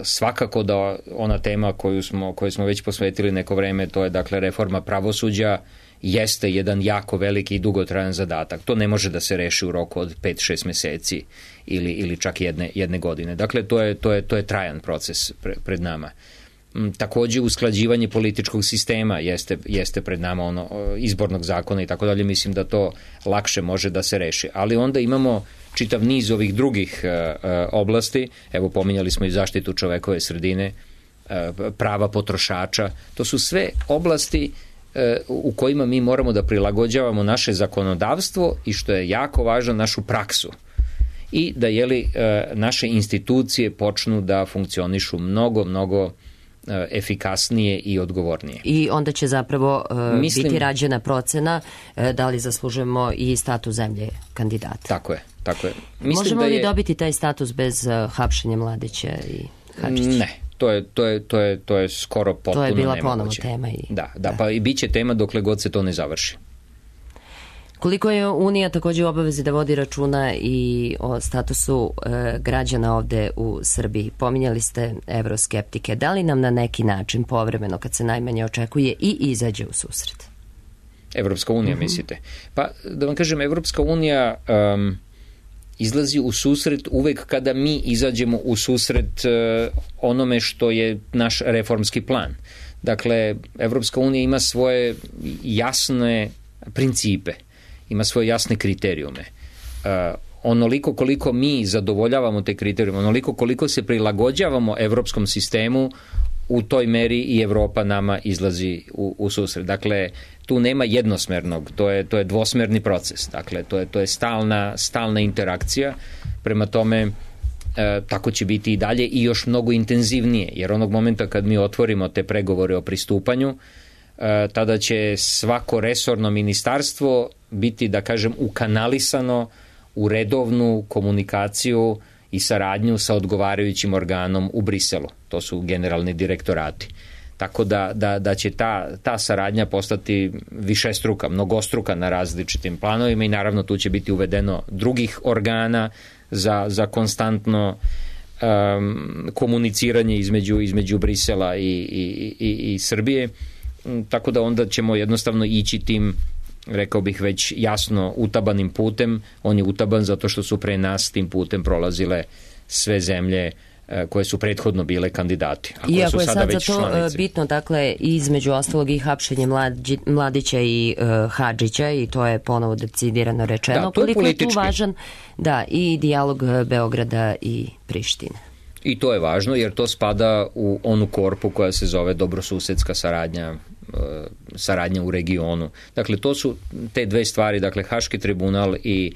Speaker 12: Svakako da ona tema koju smo, koju smo već posvetili neko vreme, to je dakle reforma pravosuđa, jeste jedan jako veliki i dugotrajan zadatak. To ne može da se reši u roku od pet šest meseci ili, ili čak jedne, jedne godine. Dakle, to je, to je, to je trajan proces pre, pred nama. Takođe, usklađivanje političkog sistema jeste, jeste pred nama, ono, izbornog zakona i tako dalje. Mislim da to lakše može da se reši. Ali onda imamo čitav niz ovih drugih uh, oblasti. Evo, pominjali smo i zaštitu čovekove sredine, uh, prava potrošača. To su sve oblasti u kojima mi moramo da prilagođavamo naše zakonodavstvo i, što je jako važno, našu praksu. I da, jeli, naše institucije počnu da funkcionišu mnogo, mnogo efikasnije i odgovornije.
Speaker 9: I onda će zapravo uh,
Speaker 12: Mislim,
Speaker 9: biti rađena procena uh, da li zaslužujemo i status zemlje kandidata.
Speaker 12: Tako je, tako je. Mislim
Speaker 9: Možemo
Speaker 12: da je...
Speaker 9: li dobiti taj status bez uh, hapšenja Mladića i Hadžića?
Speaker 12: Ne, to je, to je, to je, to je skoro potpuno nemoguće.
Speaker 9: To je bila ponovo tema. I...
Speaker 12: Da, da, da, pa i bit će tema dokle god se to ne završi.
Speaker 9: Koliko je Unija također u obavezi da vodi računa i o statusu e, građana ovde u Srbiji? Pominjali ste evroskeptike. Da li nam na neki način povremeno, kad se najmanje očekuje, i izađe u susret?
Speaker 12: Evropska unija, uh-huh. mislite? Pa, da vam kažem, Evropska unija um, izlazi u susret uvek kada mi izađemo u susret uh, onome što je naš reformski plan. Dakle, Evropska unija ima svoje jasne principe, ima svoje jasne kriterijume. Uh, onoliko koliko mi zadovoljavamo te kriterijume, onoliko koliko se prilagođavamo evropskom sistemu, u toj meri i Evropa nama izlazi u, u susret. Dakle, tu nema jednosmernog, to je, to je dvosmerni proces. Dakle, to je, to je stalna, stalna interakcija. Prema tome, e, tako će biti i dalje i još mnogo intenzivnije, jer onog momenta kad mi otvorimo te pregovore o pristupanju, e, tada će svako resorno ministarstvo biti, da kažem, ukanalisano u redovnu komunikaciju i saradnju sa odgovarajućim organom u Briselu. To su generalni direktorati. Tako da, da, da će ta, ta saradnja postati višestruka, mnogostruka na različitim planovima i naravno tu će biti uvedeno drugih organa za, za konstantno um, komuniciranje između, između Brisela i, i, i, i Srbije. Tako da onda ćemo jednostavno ići tim, rekao bih, već jasno utabanim putem. On je utaban zato što su pre nas tim putem prolazile sve zemlje koje su prethodno bile kandidati. A
Speaker 9: Iako
Speaker 12: su
Speaker 9: je
Speaker 12: sada
Speaker 9: sad
Speaker 12: već
Speaker 9: za to
Speaker 12: članice. Bitno,
Speaker 9: dakle, između ostalog i hapšenje Mladi, Mladića i uh, Hadžića, i to je ponovo decidirano rečeno.
Speaker 12: Da, to je
Speaker 9: koliko
Speaker 12: politički.
Speaker 9: je tu važan, da, i dijalog Beograda i Prištine.
Speaker 12: I to je važno jer to spada u onu korpu koja se zove dobrosusedska saradnja, saradnja u regionu. Dakle, to su te dve stvari, dakle, Haški tribunal i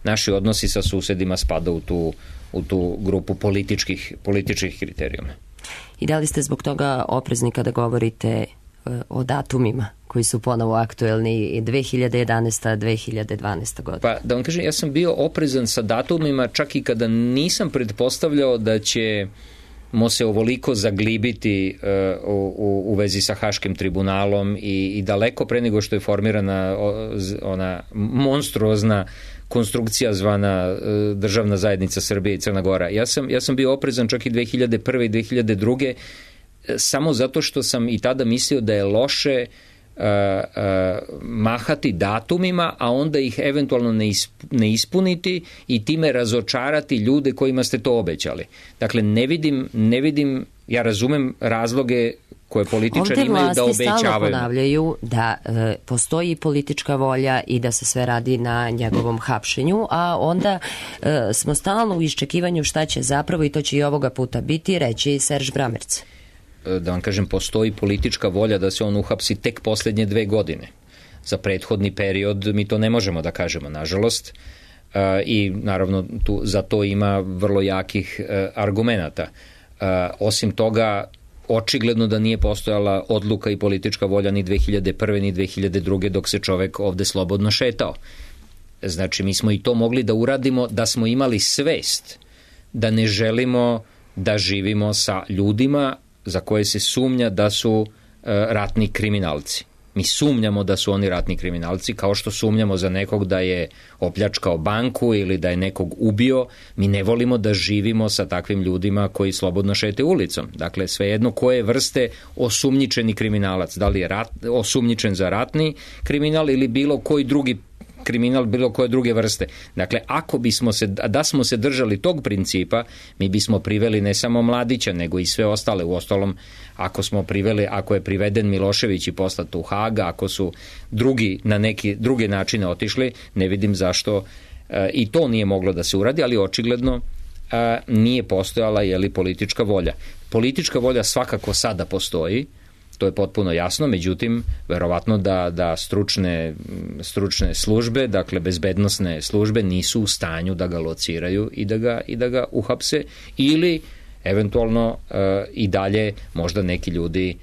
Speaker 12: naši odnosi sa susedima spada u tu, u tu grupu političkih, političkih kriterijuma.
Speaker 9: I da li ste zbog toga oprezni kada govorite o datumima koji su ponovo aktuelni dve hiljade jedanaesta. dve hiljade dvanaesta. godina?
Speaker 12: Pa da vam kažem, ja sam bio oprezan sa datumima čak i kada nisam pretpostavljao da će mo se ovoliko zaglibiti uh, u, u vezi sa Haškim tribunalom i, i daleko pre nego što je formirana ona monstruozna konstrukcija zvana uh, Državna zajednica Srbije i Crna Gora. Ja sam, ja sam bio oprezan čak i dve hiljade prve. i dve hiljade druge. samo zato što sam i tada mislio da je loše uh, uh, mahati datumima, a onda ih eventualno ne, isp, ne ispuniti i time razočarati ljude kojima ste to obećali. Dakle, ne vidim, ne vidim, ja razumem razloge koje političari imaju da obećavaju.
Speaker 9: Ovdje vlasti stalno ponavljaju da e, postoji politička volja i da se sve radi na njegovom hapšenju, a onda e, smo stalno u iščekivanju šta će zapravo, i to će i ovoga puta biti, reći Serž Bramerc.
Speaker 12: Da vam kažem, postoji politička volja da se on uhapsi tek posljednje dve godine. Za prethodni period mi to ne možemo da kažemo, nažalost, e, i naravno tu, za to ima vrlo jakih e, argumenata. E, osim toga, očigledno da nije postojala odluka i politička volja ni dve hiljade prve. ni dve hiljade druge. dok se čovek ovde slobodno šetao. Znači, mi smo i to mogli da uradimo da smo imali svest da ne želimo da živimo sa ljudima za koje se sumnja da su e, ratni kriminalci. Mi sumnjamo da su oni ratni kriminalci, kao što sumnjamo za nekog da je opljačkao banku ili da je nekog ubio. Mi ne volimo da živimo sa takvim ljudima koji slobodno šete ulicom. Dakle, svejedno koje vrste osumnjičeni kriminalac, da li je rat, osumnjičen za ratni kriminal ili bilo koji drugi kriminal, bilo koje druge vrste. Dakle, ako bismo se, da smo se držali tog principa, mi bismo priveli ne samo Mladića, nego i sve ostale. U ostalom, ako smo priveli, ako je priveden Milošević i poslat u Haga, ako su drugi na neki druge načine otišli, ne vidim zašto e, i to nije moglo da se uradi, ali očigledno e, nije postojala je li politička volja. Politička volja svakako sada postoji, to je potpuno jasno, međutim, verovatno da, da stručne, stručne službe, dakle bezbednosne službe, nisu u stanju da ga lociraju i da ga, i da ga uhapse, ili eventualno i dalje možda neki ljudi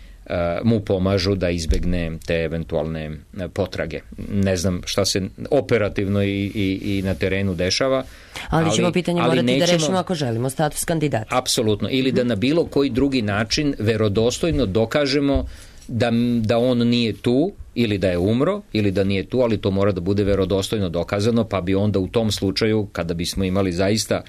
Speaker 12: mu pomažu da izbegne te eventualne potrage. Ne znam šta se operativno i, i, i na terenu dešava.
Speaker 9: Ali, ali ćemo pitanje morati
Speaker 12: nećemo,
Speaker 9: da rešimo ako želimo status kandidata.
Speaker 12: Apsolutno. Ili da na bilo koji drugi način verodostojno dokažemo da, da on nije tu ili da je umro ili da nije tu, ali to mora da bude verodostojno dokazano, pa bi onda u tom slučaju, kada bismo imali zaista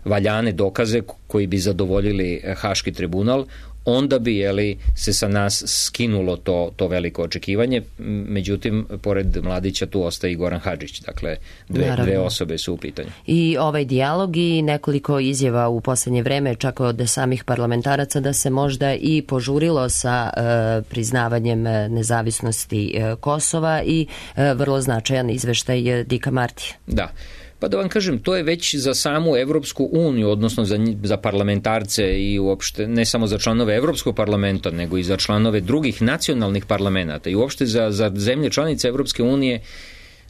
Speaker 12: valjane dokaze koji bi zadovoljili Haški tribunal, onda bi jeli, se sa nas skinulo to, to veliko očekivanje. Međutim, pored Mladića tu ostaje i Goran Hadžić. Dakle, dve, dve osobe su u pitanju.
Speaker 9: I ovaj dijalog i nekoliko izjava u poslednje vreme, čak od samih parlamentaraca, da se možda i požurilo sa e, priznavanjem nezavisnosti e, Kosova i e, vrlo značajan izveštaj Dika Martija.
Speaker 12: Da. Pa da vam kažem, to je već za samu Evropsku uniju, odnosno za, za parlamentarce i uopšte ne samo za članove Evropskog parlamenta, nego i za članove drugih nacionalnih parlamenta i uopšte za, za zemlje članice Evropske unije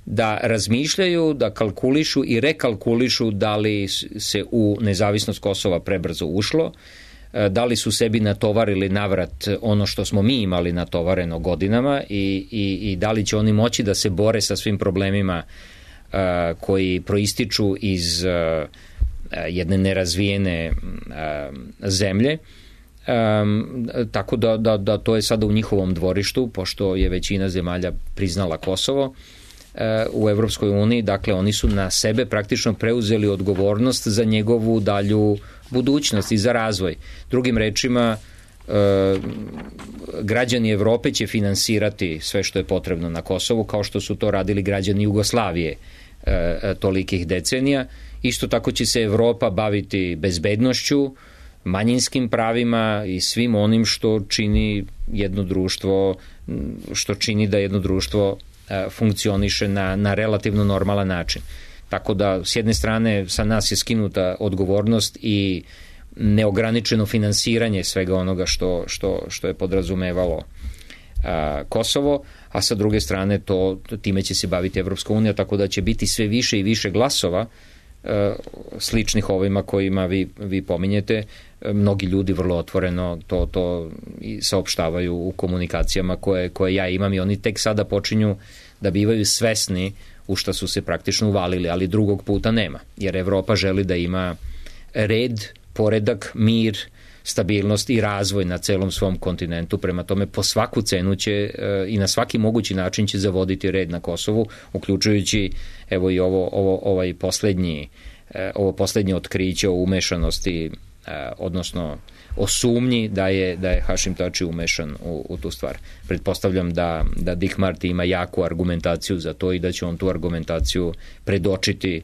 Speaker 12: da razmišljaju, da kalkulišu i rekalkulišu da li se u nezavisnost Kosova prebrzo ušlo, da li su sebi natovarili navrat ono što smo mi imali natovareno godinama i, i, i da li će oni moći da se bore sa svim problemima koji proističu iz uh, jedne nerazvijene uh, zemlje. Um, tako da, da, da to je sada u njihovom dvorištu, pošto je većina zemalja priznala Kosovo uh, u Evropskoj uniji. Dakle, oni su na sebe praktično preuzeli odgovornost za njegovu dalju budućnost i za razvoj. Drugim rečima, uh, građani Evrope će finansirati sve što je potrebno na Kosovu, kao što su to radili građani Jugoslavije tolikih decenija. Isto tako će se Evropa baviti bezbednošću, manjinskim pravima i svim onim što čini jedno društvo, što čini da jedno društvo funkcioniše na, na relativno normalan način. Tako da, s jedne strane, sa nas je skinuta odgovornost i neograničeno finansiranje svega onoga što, što, što je podrazumevalo a, Kosovo, a sa druge strane to, time će se baviti Evropska unija, tako da će biti sve više i više glasova e, sličnih ovima kojima vi, vi pominjete. E, mnogi ljudi vrlo otvoreno to, to i saopštavaju u komunikacijama koje, koje ja imam i oni tek sada počinju da bivaju svesni u šta su se praktično uvalili, ali drugog puta nema, jer Evropa želi da ima red, poredak, mir, stabilnost i razvoj na celom svom kontinentu. Prema tome, po svaku cenu će e, i na svaki mogući način će zavoditi red na Kosovu, uključujući evo i ovo, ovo ovaj poslednji e, ovo poslednje otkriće o umešanosti, e, odnosno o sumnji da je, da je Hašim Tači umešan u, u tu stvar. Pretpostavljam da, da Dick Marty ima jaku argumentaciju za to i da će on tu argumentaciju predočiti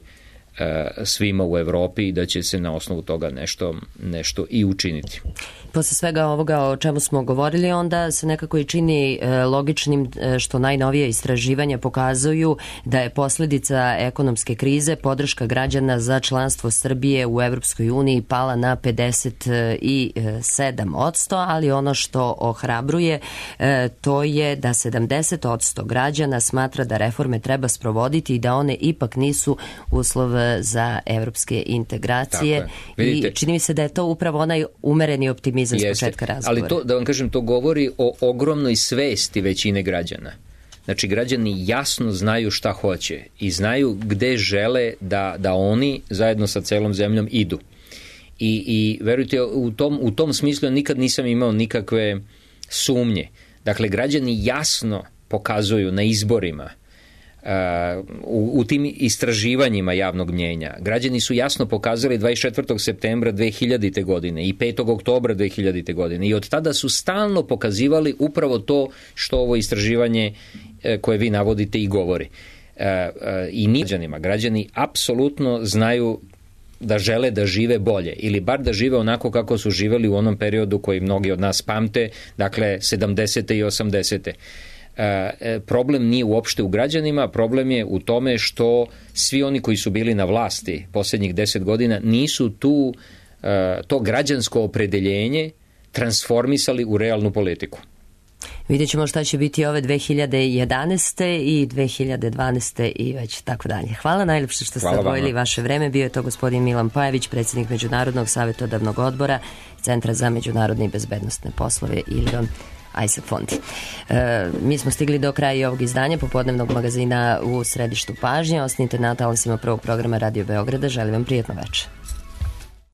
Speaker 12: svima u Evropi i da će se na osnovu toga nešto, nešto i učiniti.
Speaker 9: Posle svega ovoga o čemu smo govorili, onda se nekako i čini logičnim što najnovije istraživanja pokazuju da je posledica ekonomske krize podrška građana za članstvo Srbije u Evropskoj uniji pala na pedeset sedam posto, ali ono što ohrabruje to je da sedamdeset posto građana smatra da reforme treba sprovoditi i da one ipak nisu uslov za evropske integracije. I čini mi se da je to upravo onaj umereni optimizam s početka razgovora.
Speaker 12: Ali to, da vam kažem, to govori o ogromnoj svesti većine građana. Znači, građani jasno znaju šta hoće i znaju gde žele da, da oni zajedno sa celom zemljom idu. I, i verujte, u tom, u tom smislu nikad nisam imao nikakve sumnje. Dakle, građani jasno pokazuju na izborima, Uh, u, u tim istraživanjima javnog mnjenja. Građani su jasno pokazali dvadeset četvrtog septembra dve hiljadite. godine i petog oktobra dve hiljadite. godine i od tada su stalno pokazivali upravo to što ovo istraživanje uh, koje vi navodite i govori. Uh, uh, I ni građanima. Građani apsolutno znaju da žele da žive bolje ili bar da žive onako kako su živeli u onom periodu koji mnogi od nas pamte, dakle sedamdesete i osamdesete. E, problem nije uopšte u građanima, problem je u tome što svi oni koji su bili na vlasti posljednjih deset godina nisu tu e, to građansko opredeljenje transformisali u realnu politiku.
Speaker 9: Vidjet ćemo šta će biti ove dve hiljade jedanaeste i dve hiljade dvanaeste i već tako dalje. Hvala najljepše što ste odvojili vaše vreme. Bio je to gospodin Milan Pajević, predsjednik Međunarodnog savjetodavnog odbora Centra za međunarodne i bezbednostne poslove Ilion Ajsek Fondi. E, mi smo stigli do kraja ovog izdanja popodnevnog magazina U središtu pažnje. Ostanite na talasima prvog programa Radio Beograda. Želim vam prijatno večer.